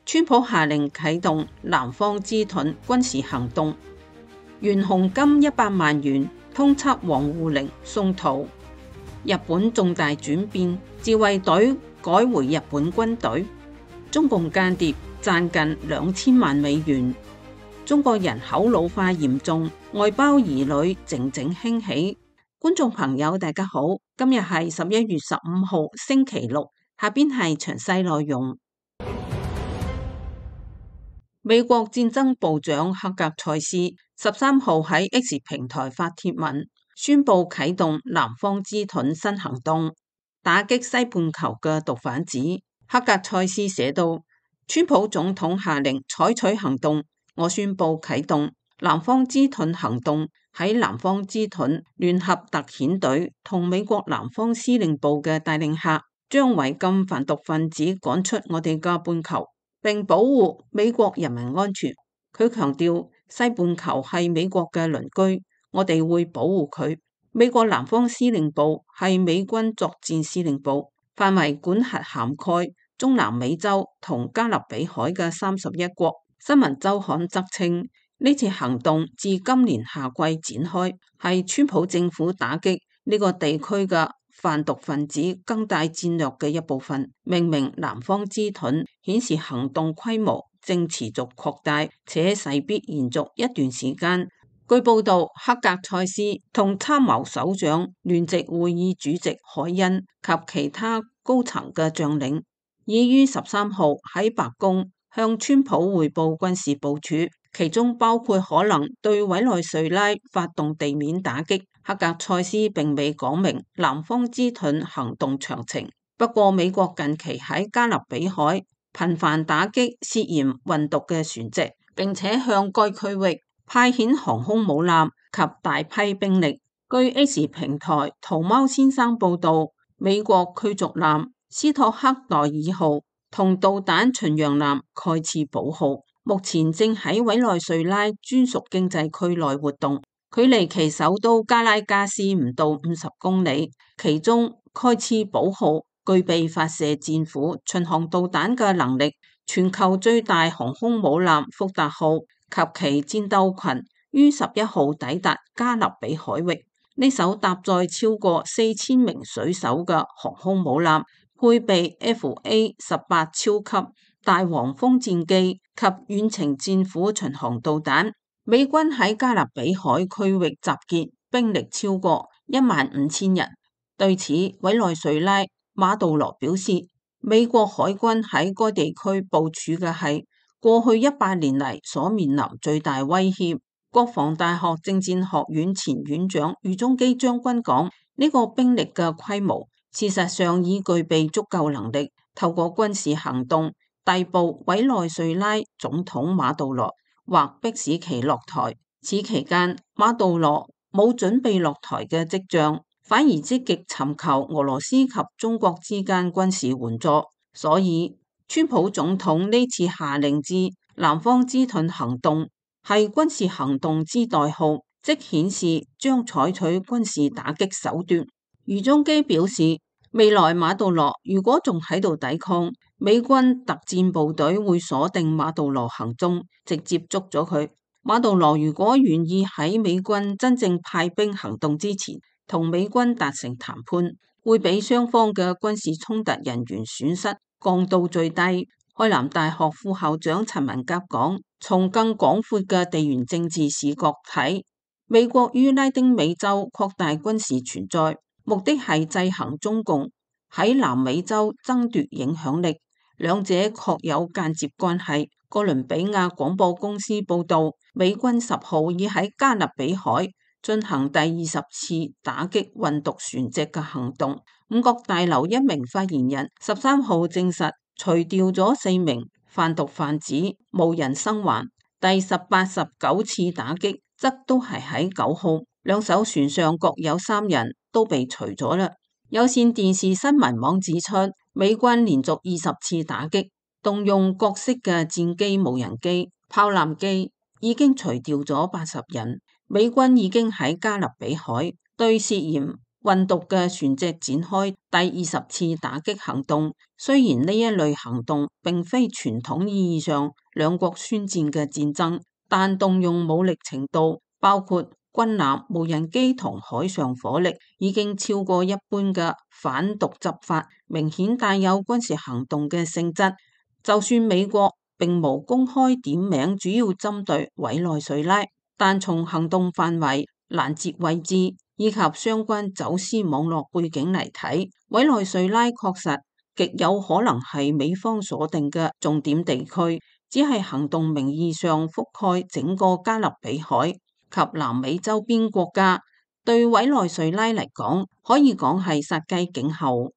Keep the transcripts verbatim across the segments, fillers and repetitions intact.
川普下令啟動南方之盾軍事行動，懸紅金一百萬元通緝王滬寧送逃。日本重大轉變，自衛隊改回日本軍隊。中共間諜賺近兩千萬美元。中國人口老化嚴重，外胞兒女靜靜興起。觀眾朋友大家好，今日係十一月十五號星期六，下邊係詳細內容。美國戰爭部長赫格塞斯十三號喺 X 平台發帖文，宣布啟動南方之盾新行動，打擊西半球嘅毒販子。赫格塞斯寫道：川普總統下令採取行動，我宣布啟動南方之盾行動。喺南方之盾聯合特遣隊同美國南方司令部嘅帶領下，將違禁販毒分子趕出我哋嘅半球，並保護美國人民安全。佢強調，西半球係美國嘅鄰居，我哋會保護佢。美國南方司令部係美軍作戰司令部，範圍管轄涵蓋中南美洲同加勒比海嘅三十一國。新聞週刊則稱，呢次行動自今年夏季展開，係川普政府打擊呢個地區嘅販毒分子更大戰略嘅一部分。命名南方之盾，顯示行動規模正持續擴大，且勢必延續一段時間。據報道，赫格塞斯同參謀首長聯席會議主席海恩及其他高層嘅將領，已於十三號喺白宮向川普匯報軍事部署，其中包括可能對委內瑞拉發動地面打擊。赫格塞斯並未講明南方之盾行動詳情，不過美國近期喺加勒比海頻繁打擊涉嫌運毒嘅船隻，並且向該區域派遣航空母艦及大批兵力。據 X 平台桃貓先生報道，美國驅逐艦斯托克代爾號同導彈巡洋艦蓋茨堡號目前正喺委內瑞拉專屬經濟區內活動，距離其首都加拉加斯唔到五十公里。其中蓋茨堡號具備發射戰斧巡航導彈嘅能力。全球最大航空母艦福特號及其戰鬥群於十一號抵達加勒比海域。呢艘搭載超過四千名水手嘅航空母艦，配備 F A 十八超級大黃蜂戰機及遠程戰斧巡航導彈。美軍喺加勒比海區域集結兵力超過一萬五千人。對此，委內瑞拉馬杜羅表示，美國海軍喺該地區部署嘅係過去一百年嚟所面臨最大威脅。國防大學政戰學院前院長余中基將軍講，呢個兵力嘅規模事實上已具備足夠能力，透過軍事行動逮捕委內瑞拉總統馬杜羅，或迫使其落台。此期間，馬杜羅冇準備落台嘅跡象，反而積極尋求俄羅斯及中國之間軍事援助。所以，川普總統呢次下令之南方之盾行動係軍事行動之代號，即顯示將採取軍事打擊手段。余中基表示，未來馬杜羅如果仲喺度抵抗，美軍特戰部隊會鎖定馬杜羅行蹤，直接捉咗佢。馬杜羅如果願意喺美軍真正派兵行動之前同美軍達成談判，會俾雙方嘅軍事衝突人員損失降到最低。開南大學副校長陳文甲講，從更廣闊嘅地緣政治視角睇，美國於拉丁美洲擴大軍事存在，目的係制衡中共喺南美洲爭奪影響力，兩者確有間接關係。哥倫比亞廣播公司報道，美軍十號已喺加勒比海進行第二十次打擊運毒船隻嘅行動。五角大樓一名發言人十三號證實，除掉咗四名販毒販子，無人生還。第十八、十九次打擊則都係喺九號，兩艘船上各有三人都被除咗啦。有線電視新聞網指出，美軍連續二十次打擊，動用各式嘅戰機、無人機、炮艦機，已經除掉咗八十人。美軍已經喺加勒比海對涉嫌運毒嘅船隻展開第二十次打擊行動。雖然呢一類行動並非傳統意義上兩國宣戰嘅戰爭，但動用武力程度，包括軍艦、無人機同海上火力，已經超過一般嘅反毒執法，明顯帶有軍事行動嘅性質。就算美國並無公開點名主要針對委內瑞拉，但從行動範圍、攔截位置以及相關走私網絡背景嚟睇，委內瑞拉確實極有可能係美方鎖定嘅重點地區，只係行動名義上覆蓋整個加勒比海及南美周邊國家。對委內瑞拉嚟講，可以講係殺雞儆猴。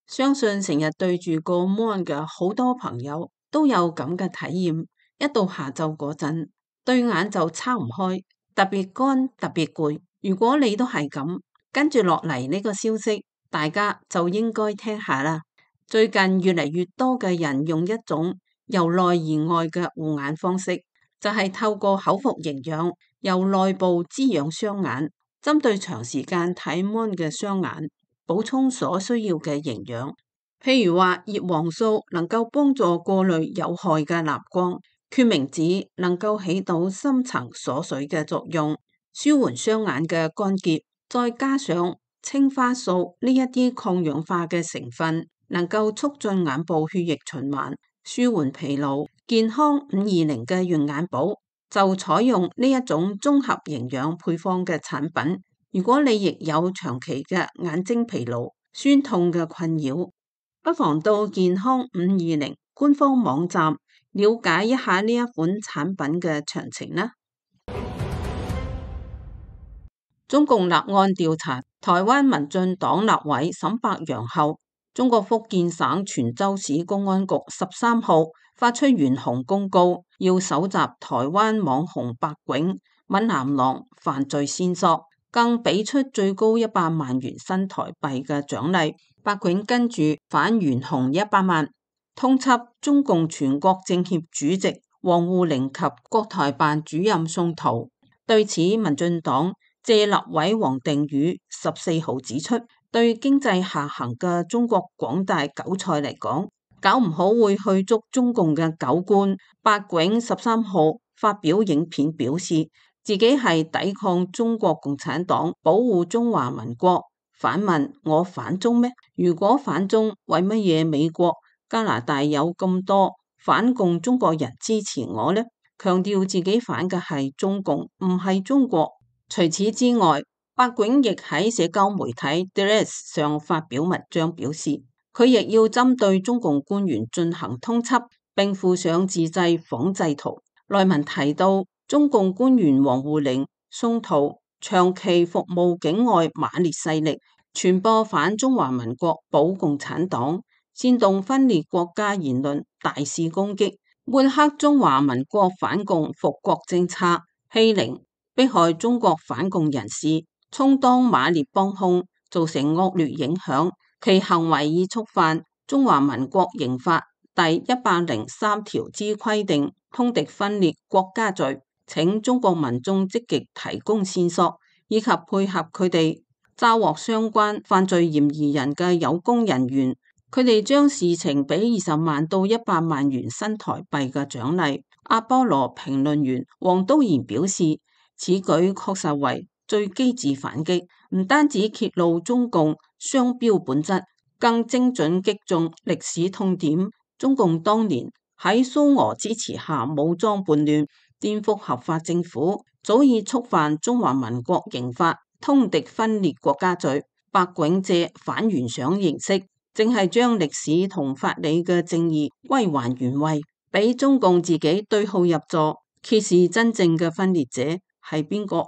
相信成日對住個 mon 嘅好多朋友都有咁嘅體驗，一到下晝嗰陣，對眼就撐唔開，特別乾，特別攰。如果你都係咁，跟住落嚟呢個消息，大家就應該聽下啦。最近越嚟越多嘅人用一種由內而外嘅護眼方式，就係透過口服營養，由內部滋養雙眼，針對長時間睇 mon 嘅雙眼，補充所需要嘅營養。譬如話葉黃素能夠幫助過濾有害嘅藍光，決明子能夠起到深層鎖水嘅作用，舒緩雙眼嘅乾澀，再加上青花素呢一啲抗氧化嘅成分，能夠促進眼部血液循環，舒緩疲勞。健康五二零嘅潤眼寶就採用呢一種綜合營養配方嘅產品。如果你亦有長期嘅眼睛疲勞、酸痛嘅困擾，不妨到健康五二零官方網站了解一下呢一款產品嘅詳情啦。中共立案調查台灣民進黨立委沈伯洋後，中國福建省泉州市公安局十三號發出懸紅公告，要搜集台灣網紅白囧、閩南郎犯罪線索，更俾出最高一百萬元新台幣嘅獎勵。白囧跟住返懸紅一百萬，通緝中共全國政協主席王滬寧及國台辦主任宋濤。對此，民進黨謝立委王定宇十四號指出，對經濟下行嘅中國廣大韭菜嚟講，搞唔好會去捉中共嘅狗官。白囧十三號發表影片表示，自己係抵抗中國共產黨，保護中華民國。反問我反中咩？如果反中，為乜嘢美國、加拿大有咁多反共中國人支持我呢？強調自己反嘅係中共，唔係中國。除此之外，白囧亦喺社交媒體 Threads 上發表文章表示，佢亦要針對中共官員進行通緝，並附上自製仿製圖。內文提到，中共官員王滬寧、宋濤長期服務境外馬列勢力，傳播反中華民國保共產黨、煽動分裂國家言論，大肆攻擊，抹黑中華民國反共復國政策，欺凌、迫害中國反共人士，充當馬列幫兇，造成惡劣影響。其行為已觸犯中華民國刑法第一百零三條之規定，通敵分裂國家罪。請中國民眾積極提供線索，以及配合佢哋抓獲相關犯罪嫌疑人嘅有功人員，佢哋將事情俾二十萬到一百萬元新台幣嘅獎勵。阿波羅評論員黃都賢表示，此舉確實為最機智反擊，唔單止揭露中共雙標本質，更精準擊中歷史痛點。中共當年喺蘇俄支持下武裝叛亂，顛覆合法政府，早已觸犯中華民國刑法通敵分裂國家罪。白囧借反懸賞形式，正係將歷史同法理嘅正義歸還原位，俾中共自己對號入座，揭示真正嘅分裂者係邊個。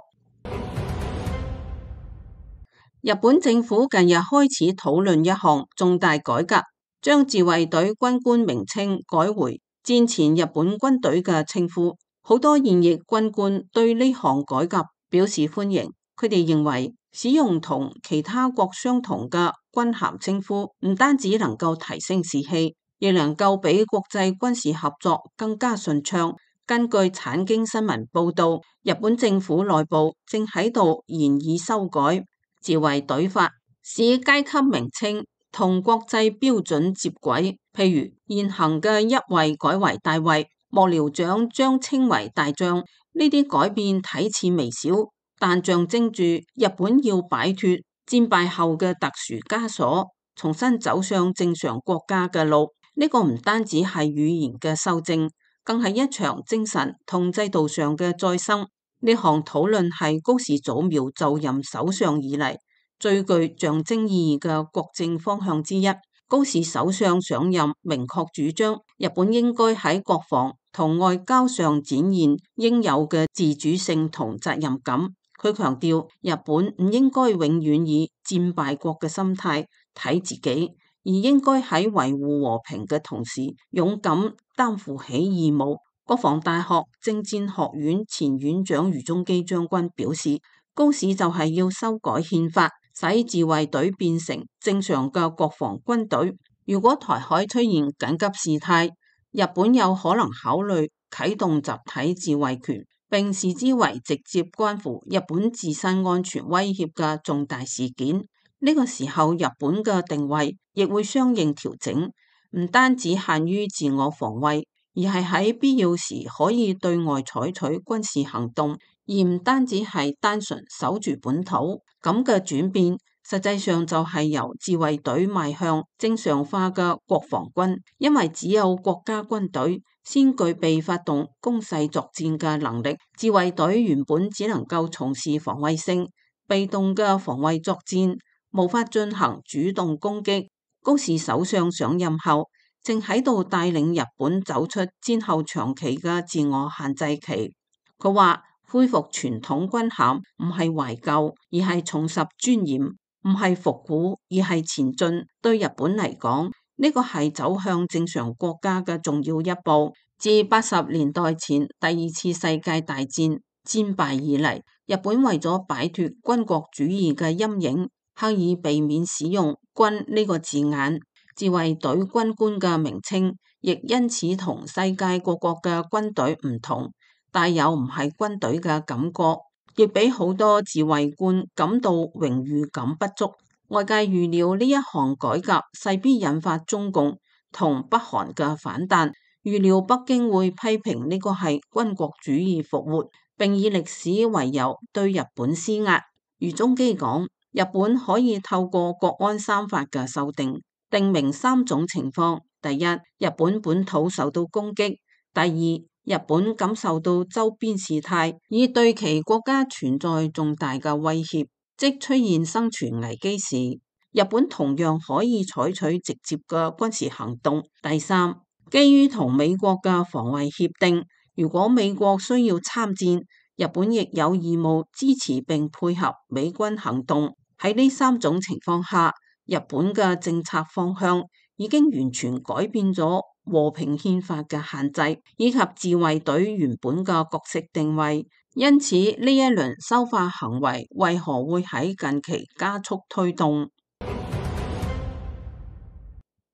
日本政府近日開始討論一項重大改革，將自衛隊軍官名稱改回戰前日本軍隊嘅稱呼。好多現役軍官對呢項改革表示歡迎，佢哋認為使用同其他國相同嘅軍銜稱呼，唔單止能夠提升士氣，亦能夠比國際軍事合作更加順暢。根據產經新聞報道，日本政府內部正喺度研議修改自衛隊法使階級名稱同國際標準接軌，譬如現行嘅一尉改為大尉，幕僚長將稱為大將。呢啲改變睇似微小，但象徵住日本要擺脫戰敗後嘅特殊枷鎖，重新走上正常國家嘅路。呢個唔單止係語言嘅修正，更係一場精神同制度上嘅再生。呢項討論係高市早苗就任首相以嚟最具象徵意義嘅國政方向之一。高市首相上任明確主張，日本應該喺國防同外交上展現應有嘅自主性同責任感。佢強調，日本唔應該永遠以戰敗國嘅心態睇自己，而應該喺維護和平嘅同時，勇敢擔負起義務。國防大學政戰學院前院長余宗基將軍表示，高市就係要修改憲法，使自衛隊變成正常嘅國防軍隊。如果台海出現緊急事態，日本有可能考慮啟動集體自衛權，並視之為直接關乎日本自身安全威脅嘅重大事件。呢個時候，日本嘅定位亦會相應調整，唔單止限於自我防衛，而係喺必要時可以對外採取軍事行動，而唔單止係單純守住本土。咁嘅轉變，實際上就係由自衛隊邁向正常化嘅國防軍，因為只有國家軍隊先具備發動攻勢作戰嘅能力。自衛隊原本只能夠從事防衛性、被動嘅防衛作戰，無法進行主動攻擊。高市首相上任後，正喺度帶領日本走出戰後長期嘅自我限制期。佢話恢復傳統軍銜唔係懷舊，而係重拾尊嚴；唔係復古，而係前進。對日本嚟講，呢個係走向正常國家嘅重要一步。自八十年代前第二次世界大戰戰敗以嚟，日本為咗擺脫軍國主義嘅陰影，刻意避免使用軍呢個字眼。自衛隊軍官嘅名稱亦因此同世界各國嘅軍隊唔同，帶有唔係軍隊嘅感覺，亦俾好多自衛官感到榮譽感不足。外界預料呢一項改革勢必引發中共同北韓嘅反彈，預料北京會批評呢個係軍國主義復活，並以歷史為由對日本施壓。余宗基講，日本可以透過國安三法嘅修訂，定明三種情況：第一，日本本土受到攻擊；第二，日本感受到周邊事態已對其國家存在重大嘅威脅，即出現生存危機時，日本同樣可以採取直接嘅軍事行動；第三，基於同美國嘅防衛協定，如果美國需要參戰，日本亦有義務支持並配合美軍行動。喺呢三種情況下，日本嘅政策方向已經完全改變咗和平憲法嘅限制，以及自衛隊原本嘅角色定位。因此，呢一輪修法行為為何會喺近期加速推動？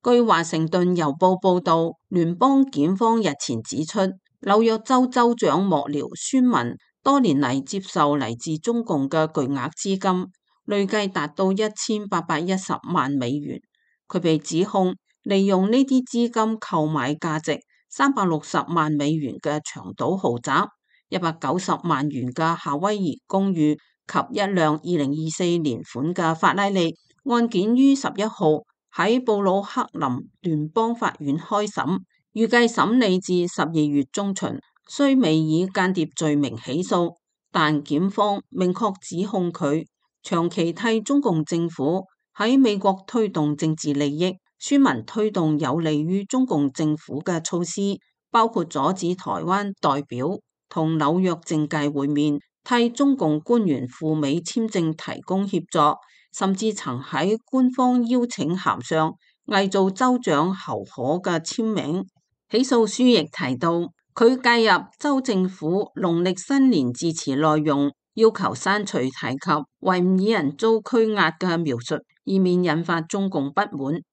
據華盛頓郵報報導，聯邦檢方日前指出，紐約州州長幕僚孫文多年嚟接受嚟自中共嘅巨額資金，累計達到一千八百一十萬美元。佢被指控利用呢啲資金購買價值三百六十萬美元嘅長島豪宅、一百九十萬元嘅夏威夷公寓及一輛二零二四年款嘅法拉利。案件於十一號喺布魯克林聯邦法院開審，預計審理至十二月中旬。雖未以間諜罪名起訴，但檢方明確指控佢長期替中共政府喺美國推動政治利益。孫文推動有利於中共政府嘅措施，包括阻止台灣代表同紐約政界會面，替中共官員赴美簽證提供協助，甚至曾喺官方邀請函上偽造州長侯可嘅簽名。起訴書亦提到，佢介入州政府農曆新年致辭內容，要求刪除提及維吾爾人遭拘押嘅描述，以免引發中共不滿。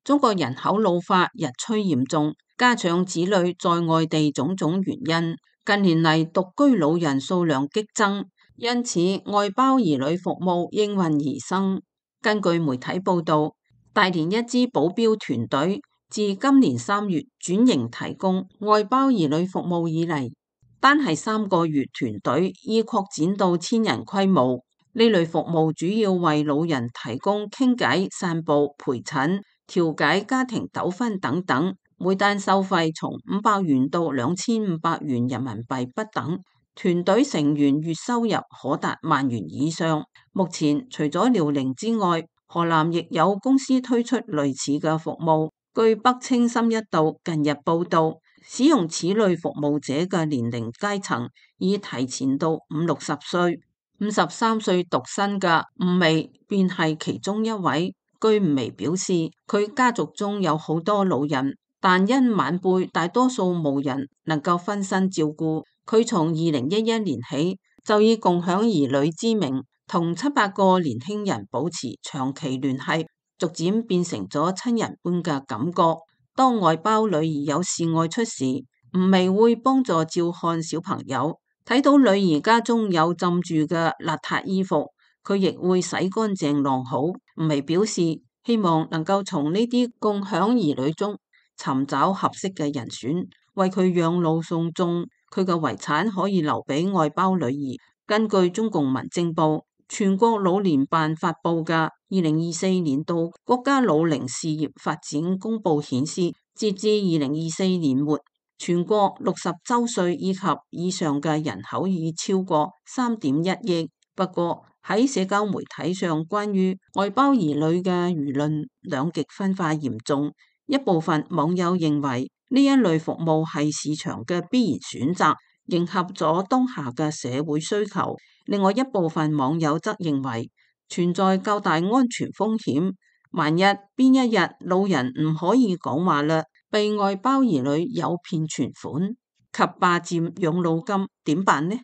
中國人口老化日趨嚴重，加上子女在外地種種原因，近年嚟獨居老人數量激增，因此外包兒女服務應運而生。根據媒體報導，大連一支保鏢團隊自今年三月轉型提供外包兒女服務以嚟，單係三個月團隊已擴展到千人規模。呢類服務主要為老人提供傾偈、散步、陪診、調解家庭糾紛等等，每單收費從五百元到兩千五百元人民幣不等。團隊成員月收入可達萬元以上。目前除咗遼寧之外，河南亦有公司推出類似嘅服務。據北青森一道近日報道，使用此類服務者嘅年齡階層已提前到五六十歲。五十三歲獨身嘅吳薇便係其中一位。據吳薇表示，佢家族中有好多老人，但因晚輩大多數無人能夠分身照顧，佢從二零一一年起就以共享兒女之名，同七八個年輕人保持長期聯繫，逐漸變成咗親人般嘅感覺。當外包女兒有事外出時，吳薇會幫助照看小朋友。睇到女兒家中有浸住嘅邋遢衣服，佢亦會洗乾淨晾好。吳薇表示希望能夠從呢啲共享兒女中尋找合適嘅人選，為佢養老送終。佢嘅遺產可以留俾外包女兒。根據中共民政部全國老年辦發佈嘅二零二四年度國家老齡事業發展公報顯示，截至二零二四年末，全國六十周歲以及以上嘅人口已超過三點一億。不過喺社交媒體上，關於外包兒女嘅輿論兩極分化嚴重。一部分網友認為呢一類服務係市場嘅必然選擇，迎合咗當下嘅社會需求。另外一部分網友則認為存在較大安全風險，萬一邊一日老人唔可以講話啦，被外包兒女誘騙存款及霸佔養老金點辦呢？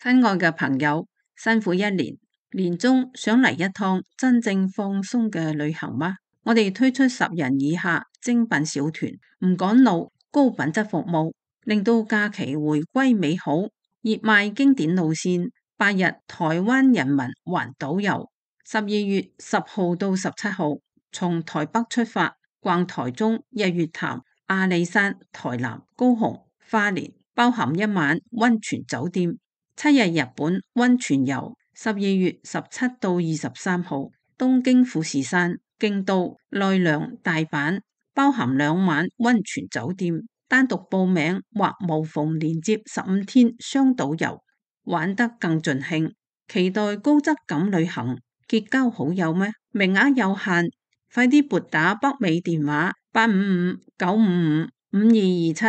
親愛嘅朋友，辛苦一年，年終想嚟一趟真正放鬆嘅旅行嗎？我哋推出十人以下精品小團，唔趕路，高品質服務，令到假期回歸美好。熱賣經典路線，八日台灣人民環島遊，十二月十號到十七號，從台北出發，逛台中、日月潭、阿里山、台南、高雄、花蓮，包含一晚溫泉酒店。七日日本溫泉遊，十二月十七到二十三號，東京富士山、京都、奈良、大阪，包含兩晚溫泉酒店。單獨報名或無縫連接十五天雙島遊，玩得更盡興。期待高質感旅行，結交好友咩？名額有限，快啲撥打北美電話八五五九五五五二二七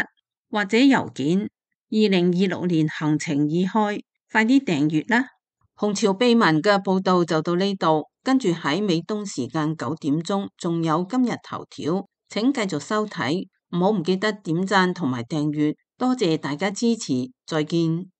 或者郵件二零二六年行程已開，快啲訂閱啦！紅潮秘聞嘅報道就到呢度，跟住喺美東時間九點鐘仲有今日頭條，請繼續收睇。唔好唔記得點讚同埋訂閱，多謝大家支持，再見。